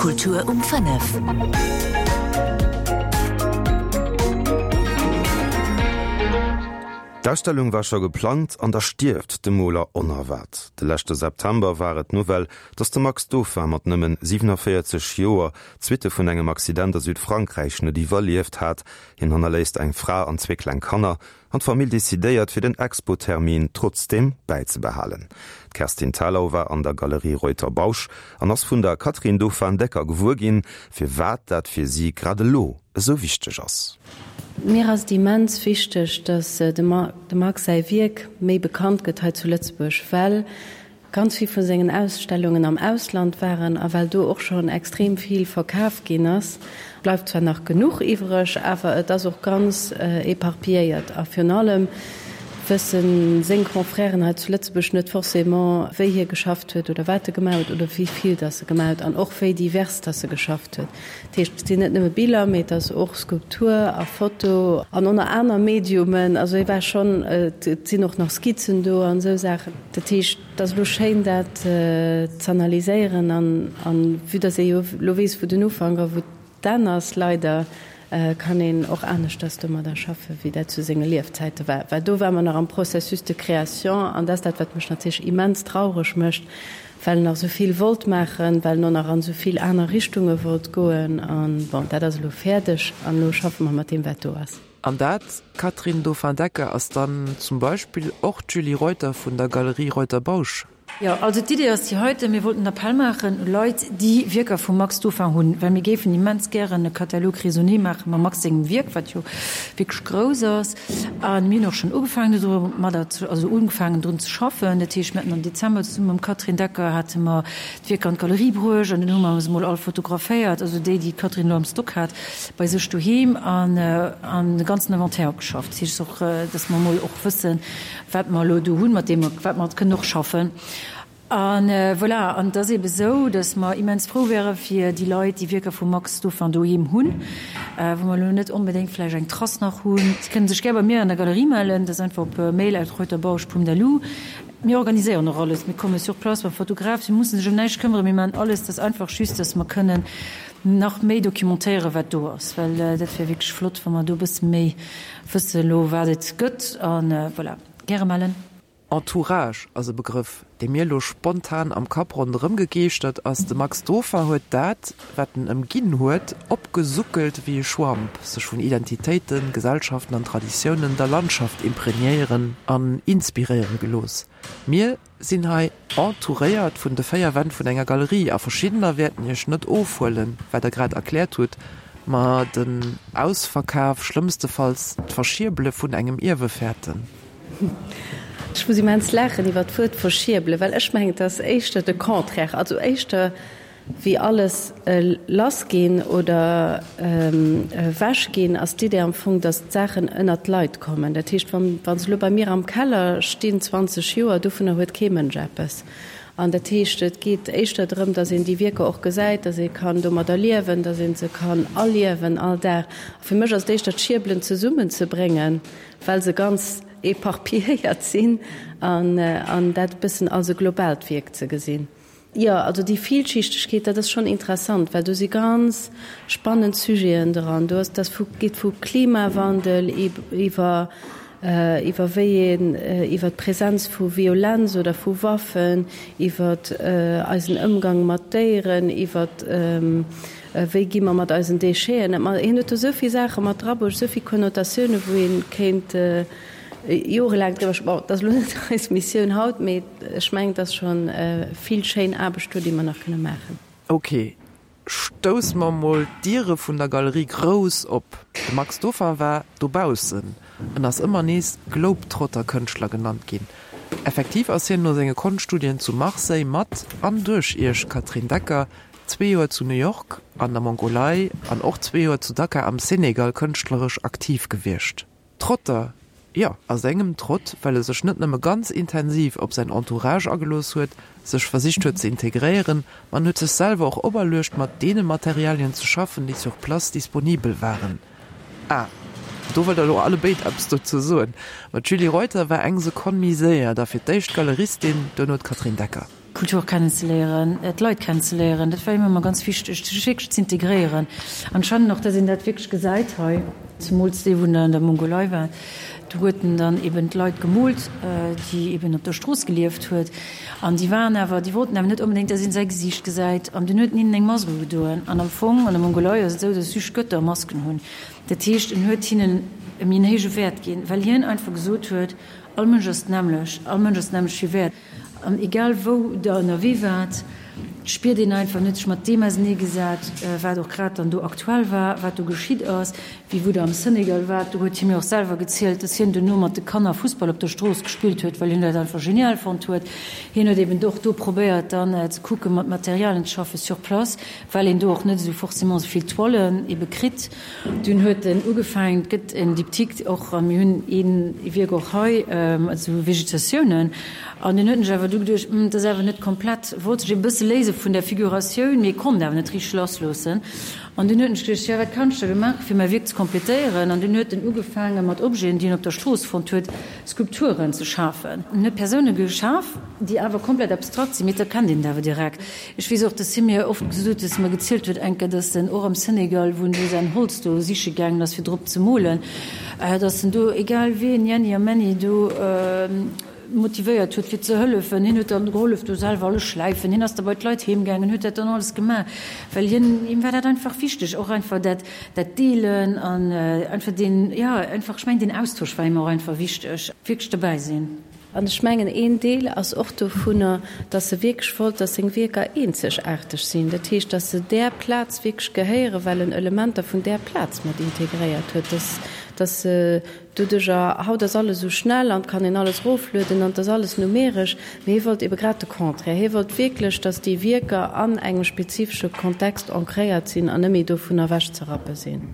Kultur um 5. D'Ausstellung war scho geplangt an da stierft de Moler onerwaart. De leschte September war et d'Nouvelle, datt de Max Dauphin mat nëmmen 47 Joer d'Suitte vun engem Accident a Südfrankräich net iwwerlieft hat. Hien hannerléisst eng Fra an zwee kleng Kanner. An d'Famill decidéiert, fir den Expo-Termin trotzdeem bäizebehalen. D'Kerstin Thalau war an der Galerie Reuter-Bausch an ass vun der Catherine Dauphin-Decker gewuer ginn, firwat dat fir si grad elo esou wichteg ass. Mir ass et immens wichteg, datt de Max säi Wierk méi bekannt gëtt hei zu Lëtzebuerg, well ganz vill vu sengen Ausstellungen am Ausland waren a well do och schonn extrem vill verkaf ginn ass, bleift zwar nach genuch iwwreg, awer et ass och ganz éparpilléiert a virun allem wësse seng Confrèren hei zu Lëtzebuerg net forcément, wéi hie geschafft huet oder wat e gemaach huet oder wéi vill dass e gemaach huet an och wéi divers dass e geschafft huet. Dat heescht, et sinn net nëmme Biller, mee et ass och Skulptur a Foto an oner aner Mediumen. Also hie war schonn, et sinn och nach Skizzen do an esou Saachen. Dat heescht, et ass elo schéin, dat z'analyséieren an vue dass ee jo elo weess, wou den Ufank a wou d'Enn ass, leider, kann een och aneschters domadder schaffen, wéi dat zu senge Liefzäite war. Well do war mer nach am Processus de création an dat ass dat, wat mech natierlech immens traureg mécht, well en nach esou vill wollt maachen, well en och nach an esou vill aner Richtunge wollt goen. An bon, dat ass elo fäerdeg an elo schaffe mer mat deem, wat do ass. An dat, Catherine Dauphin-Decker, ass dann zum Beispill och d'Julie Reuter vun der Galerie Reuter-Bausch. Jo, also d'Idee ass déi heiten, Mir wollten en Appell maachen u Leit, déi Wierker vum Max Dauphin hunn, well mir géifen immens gären e Catalogue raisonné maache mam Max sengem Wierk, wat jo wierklech grouss ass. A mir hunn och schonn ugefaangen domadder, also ugefaangen drun ze schaffen. Dat heescht, mir haten am Dezember zesumme mam Catherine Decker hate mer d'Wierker an d'Galerie bruecht an dunn hu mer se mol all fotograféiert, also déi, déi d'Catherine elo am Stock hat bei sech doheem, an an de ganzen Inventaire opgeschafft. Dat heescht och, dass mer mol och wëssen, wat mer elo do hunn, mat deem mer, wat mer kënnen och schaffen. A voilà, an et ass eebe sou, dass mer immens frou wäre fir déi Leit, déi Wierker vum Max Dauphin doheem hunn, wou mer elo net onbedéngt vläicht eng Trass nach hunn. Si kënnen sech gär bei mir an der Galerie mellen, dat ass einfach op mail at reuterbausch.lu. Mir organiséieren och alles, mir komme sur place mam Fotograf, si musse sech ëm näischt këmmeren, mir maachen alles. Dat ass einfach just, dass mer kënnen nach méi documentéieren, wat do ass, well dat wär wierklech flott, wa mer do e bësse méi wësse elo, wat et gëtt. A voilà, gäre mellen. Entourage ass e Begrëff, dee mir elo spontan am Kapp ronderëm gegeeschtert ass. De Max Doffer huet dat, wat en ëmginn huet, opgesuckelt wéi e Schwamp, sech vun Identitéiten, Gesellschaften an Traditiounen, der Landschaft imprégnéieren an inspiréiere gelooss. Mir sinn hei entouréiert vun de 4 Wänn vun enger Galerie a verschiddener wäerten iech net ofhuelen, wat der grad erkläert hutt, ma den Ausverkaf, schlëmmstefalls d'Verschierbele vun engem Ierwe fäerten. Ech muss immens laachen iwwer d'Wuert verschierbelen, well ech mengen, et ass éischter de Contraire, also éischter wéi alles lass ginn oder ewech ginn, ass d'Idee am Fong, datt d'Saachen ënnert d'Leit kommen. Dat heescht, wa se elo bei mir am Keller stinn, 20 Joer, dovunner huet kee Mënsch eppes. An dat heescht, et geet éischter drëm, datt een déi Wierker och gesäit, datt ee kann domadder liewen, datt ee se kann erliewen all Dag. A fir mech ass et éischter d'Schierbelen zesummenzebréngen, well se ganz éparpilléiert sinn an dat e bëssen als e globaalt Wierk ze gesinn. Jo, also déi Vielschichtegkeet, dat ass schonn interessant, well do si ganz spannend Sujeten dran. Do ass, dat geet vu Klimawandel iwwer iwwer wéi een, iwwer d'Präsenz vu Violenz oder vu Waffen, iwwer eisen Ëmgang mat Déieren, iwwer Wéi gi mer mat eisen Décheten ëm? Hien huet do esou vill Saache mat drabruecht, esou vill Konnotatiounen, wou ee kéint jorelaang driwwer schwätzen. Bon, dat ass elo net eis Missioun haut, mee ech mengen, et ass scho vill schéin Aarbecht do, déi mer nach kënne maachen. Ok, stousse mer mol d'Diere vun der Galerie grouss op. De Max Dauphin war dobaussen. En ass ëmmer nees Globetrotter-Kënschtler genannt ginn. Effektiv ass hien no senge Konschtstudien zu Marseille mat an duerch Iech, Catherine Decker, zwee Joer zu New York, an der Mongolei an och zwee Joer zu Dakar am Senegal kënschtleresch aktiv gewiescht. Trotter, jo, a sengem Trott, well e sech net nëmme ganz intensiv op säin Entourage agelooss huet, sech versicht huet ze integréieren, ma en huet sech selwer och operluecht, mat deene Materialien ze schaffen, déi sur place disponibel waren. Ah, do wëllt der elo allebéid eppes dozou soen. Ma d'Julie Reuter war eng Sekonn méi séier, da fir d'éischt d'Galeristin, duerno d'Catherine Decker. D'Kultur kennenzeléieren, d'Leit kennenzeléieren, dat war him ëmmer ganz wichteg, sech wierklech z'integréieren. An ech fannen och, dass een dat wierklech gesäit hei, zemools dee wou en an der Mongolei war, do huet en dann eben d'Leit gemoolt, déi eben op der Strooss gelieft huet. An déi waren awer, déi wollten awer net onbedéngt, dass een säi Gesiicht gesäit. An dunn huet en hinnen eng Mask ugedoen. An am Fong an der Mongolei ass et esou, dass just Götter Masken hunn. Dat heescht, en huet hinnen e méi en héije Wäert ginn, well hien einfach gesot huet, All Mënsch ass d'nämmlecht, all Mënsch ass d'nämmlecht vill wäert. An egal wou der ënnerwee waart, spiert een einfach, en huet sech mat deem auseneegesat, wat och grad dann do aktuell war, wat do geschitt ass. Wéi wou der am Senegal waart, do huet hie mir och selwer gezielt, dass hien duerno mat de Kanner Fussball op der Strooss gespillt huet, well hien dat einfach genial fonnt huet. Hien huet eben och do probéiert dann ze kucken, mat Materialien ze schaffen sur place, well een do och net esou forcément esou vill Toilen ebe kritt. Dunn huet en ugefaangen, et gëtt en Diptyque och, a mir hunn ee Wierk och hei, esou Vegetatiounen. An dunn huet en sech awer du geduecht, Hm, dat ass awer net komplett. Wollt sech e bësse léise vun der Figuratioun, mee konnt awer net richteg lassloossen. An dunn huet en sech geduecht, Jo, wat kann ech da elo maachen, fir mäi Wierk ze kompletéieren? An dunn huet en ugefaange mat Objeten, déi en op der Strooss fonnt huet, Skulpturen ze schafen. En huet Persoune geschaf, déi awer komplett abstrakt sinn, mee et erkennt een et awer direkt. Ech weess och, dass hie mir oft gesot huet, dass e mer gezielt huet eng Kéier, dass en och am Senegal, wou en do säin Holz do siche gaangen ass, fir drop ze molen, dass en do, egal wien, Jenni a Menni, do motivéiert huet, fir ze hëllefen. Hien huet dann gehollef do selwer alles schläifen, hien ass da bei d'Leit heem gaangen, huet dat dann alles gemaach, well hien, him war dat einfach wichteg, och einfach dat, dat Deelen an einfach deen, jo, einfach, ech mengen, deen Austausch war him och einfach wichteg, wierklech dobäi sinn. An ech mengen, een Deel ass och dovunner, dass e wierklech wollt, dass seng Wierker eenzegaarteg sinn, dat heescht, dass se där Plaz wierklech gehéieren, well en Elementer vun där Plaz mat integréiert huet, dass, dass se doduercher, haut ass alles esou schnell an et kann een alles eroflueden an et ass alles numeresch, mee hie wollt ebe grad de Contraire, hie wollt wierklech, dass déi Wierker an engem spezifesche Kontext ancréiert sinn an net méi dovun ewechzerappe sinn.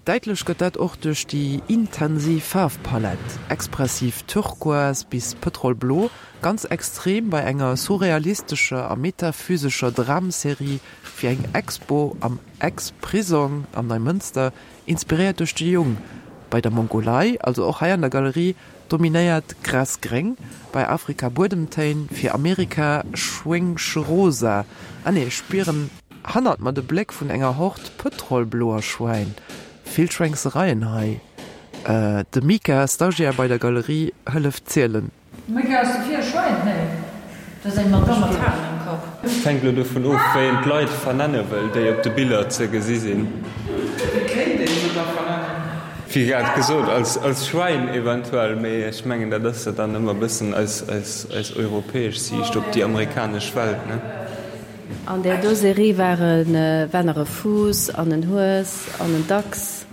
Däitlech gëtt dat och duerch déi intensiv Faarfpalett, expressiv Turquoise bis Pëtrolblo, ganz extrem bei enger surrealistescher a metaphysescher Dramserie fir eng Expo am Ex-Prisong am Neimënster, inspiréiert duerch de Jung bei der Mongolei, also och hei an der Galerie, dominéiert Grasgréng, bei Afrika Buedemtéin, fir Amerika Schwéngschrosa, ah nee, spieren. Hannert mer de Bléck vun enger Hord pëtrolbloer Schwäin. Vill Schwéngsereien hei. De Mika, Stagiaire bei der Galerie, hëlleft zielen. Mika, Ass dofir e Schwäin? Nee, dat ass eng Madame mat Haren am Kapp. Et hänkt elo dovun of, wéi een d'Leit vernenne wëll, déi op de Biller ze gesi sinn. Wéi kéint een se da vernennen? Wéi grad gesot, als Schwäin eventuell, mee ech mengen, dat ass jo dann ëmmer e bëssen eis europäesch Siicht op déi amerikanesch Welt, ne? An där do Serie waren war nach e Fuuss an en Hues an en Dachs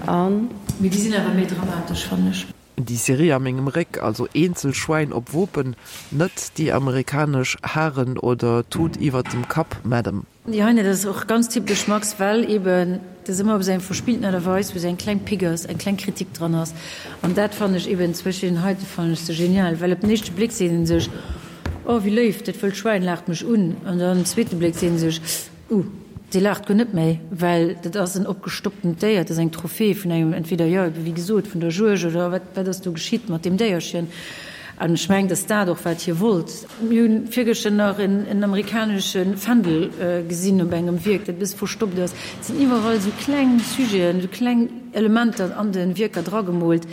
an. Mee déi sinn awer méi dramatesch, fannen ech. Déi Serie a mengem Réck, also eenzel Schwäin op Wopen, net déi amerikanesch Haren oder Tut iwwert dem Kapp, Madam. Déi hei, dat ass och ganz typesch Max, well eben dat ass ëmmer op esou eng verspillten Aart a Weis, wou esou eng kleng Pick ass, eng kleng Kritik dran ass. An dat fannen ech eben zum Beispill den heite fannen ech sou genial, well op den éischte Bléck seet ee sech, Oh, wéi léif, dat wëllt Schwäin laacht mech un. An dann zweete Bléck seet en sech, Uh, dee laacht guer net méi, well dat ass en opgestopptent Déier, dat ass eng Trophée vun engem, entweder, jo, ebe wéi gesot, vun der Juegd oder wat, wat ass do geschitt mat deem Déierchen? An ech mengen, dass dat och wat hie wollt. Mir hunn virgëschter nach en, en amerikanesche Fändel gesinn op engem Wierk, dat e bësse verstoppt ass. Et sinn iwwerall esou kleng Sujeten, esou kleng Elementer an de Wierker dragemoolt,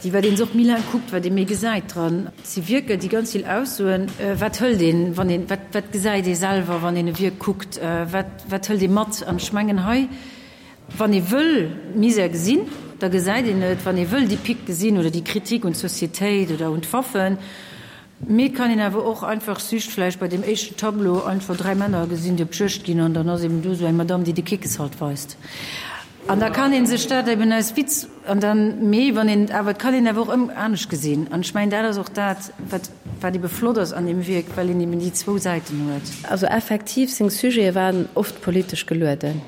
déi, wat een se och méi laang kuckt, wat ee méi gesäit dran. Et si Wierker, déi ganz vill aussoen. Wat hëlt een, wann een, wat, wat gesäit ee selwer, wann een e Wierk kuckt? Wat, wat hëlt ee mat? An ech mengen hei, wann ee wëll Misär gesinn, da gesäit een et. Wann ee wëll déi Pique gesinn oder déi Kritik un d'Societéit oder un d'Waffen. Mee et kann een awer och einfach just vläicht bei deem éischten Tableau einfach 3 Männer gesinn, déi op d'Juegd ginn an dann ass eben do esou eng Madame, déi de Kickes halt weist. An da kann ee sech dat eben aus Witz an dann, mee wann een et awer, et kann een awer och ëm anescht gesinn. An ech mengen, dat ass och dat, wat, wat ebe flott ass an deem Wierk, well een eben déi zwou Säiten huet. Also effektiv, seng Sujete waren oft politesch gelueden.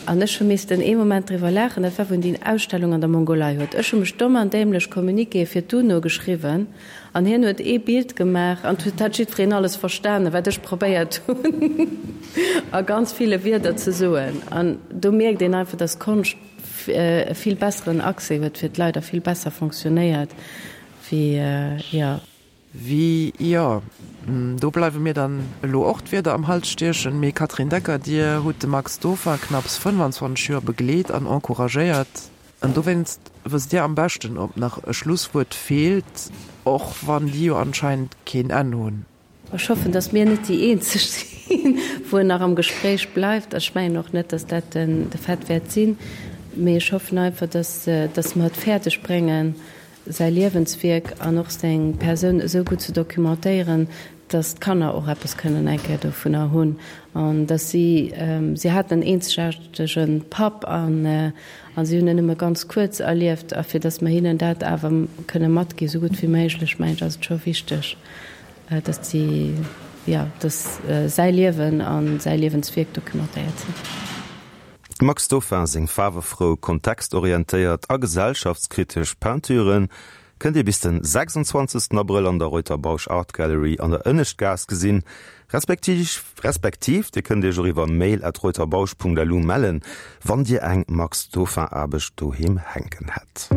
An ech hu missten ee Moment driwwer laachen, dat war wou en déi Ausstellung an der Mongolei huet. Ech hu mech domm an dämlech Communiquéë fir d'UNO geschriwwen an hien huet ee Bild gemaach an et hat jiddwereen alles verstanen, wat ech probéiert hunn a ganz ville Wierder ze soen. An do mierkt een einfach, dass Konscht e vill besseren Accès huet fir d'Leit a vill besser fonctionnéiert wéi, jo. Wie, jo, do bleiwe mir dann elo och d'Wierder am Hals stiechen. Mme Catherine Decker, Dir hutt de Max Dauphin knapps 25 Joer begleet an encouragéiert. An dowéinst wësst Dir am beschten, ob nach e Schlusswuert feelt, och wann déi jo anscheinend keen Enn hunn. Ech hoffen, datt mir net déi eenzeg sinn, wou en nach am Gespréich bleift. Ech mengen och net, datt dat de Fait wäert sinn. Mee ech hoffen einfach, datt, datt mer et fäerdeg bréngen, säi Liewenswierk an och seng Persoun esou gutt ze documentéieren, datt d'Kanner och eppes kënnen eng Kéier dovunner hunn an datt si, si haten en eenzegaartege Papp an a si hunn en nëmme ganz kuerz erlieft a fir datt mer hinnen dat awer kënne matginn, esou gutt wéi méiglech, mengen ech, ass et scho wichteg, datt si, jo, datt säi Liewen a säi Liewenswierk documentéiert sinn. Dem Max Dauphin seng faarwefrou, kontextorientéiert a gesellschaftskritesch Peinturen kënnt Dir bis den 26 Abrëll an der Reuter Bausch Art Gallery an der Ënneschtgaass gesinn, respektiv respektiv Dir kënnt Iech och iwwer mail at reuterbausch.lu mellen, wann Dir eng Max Dauphin Aarbecht doheem hänken hätt.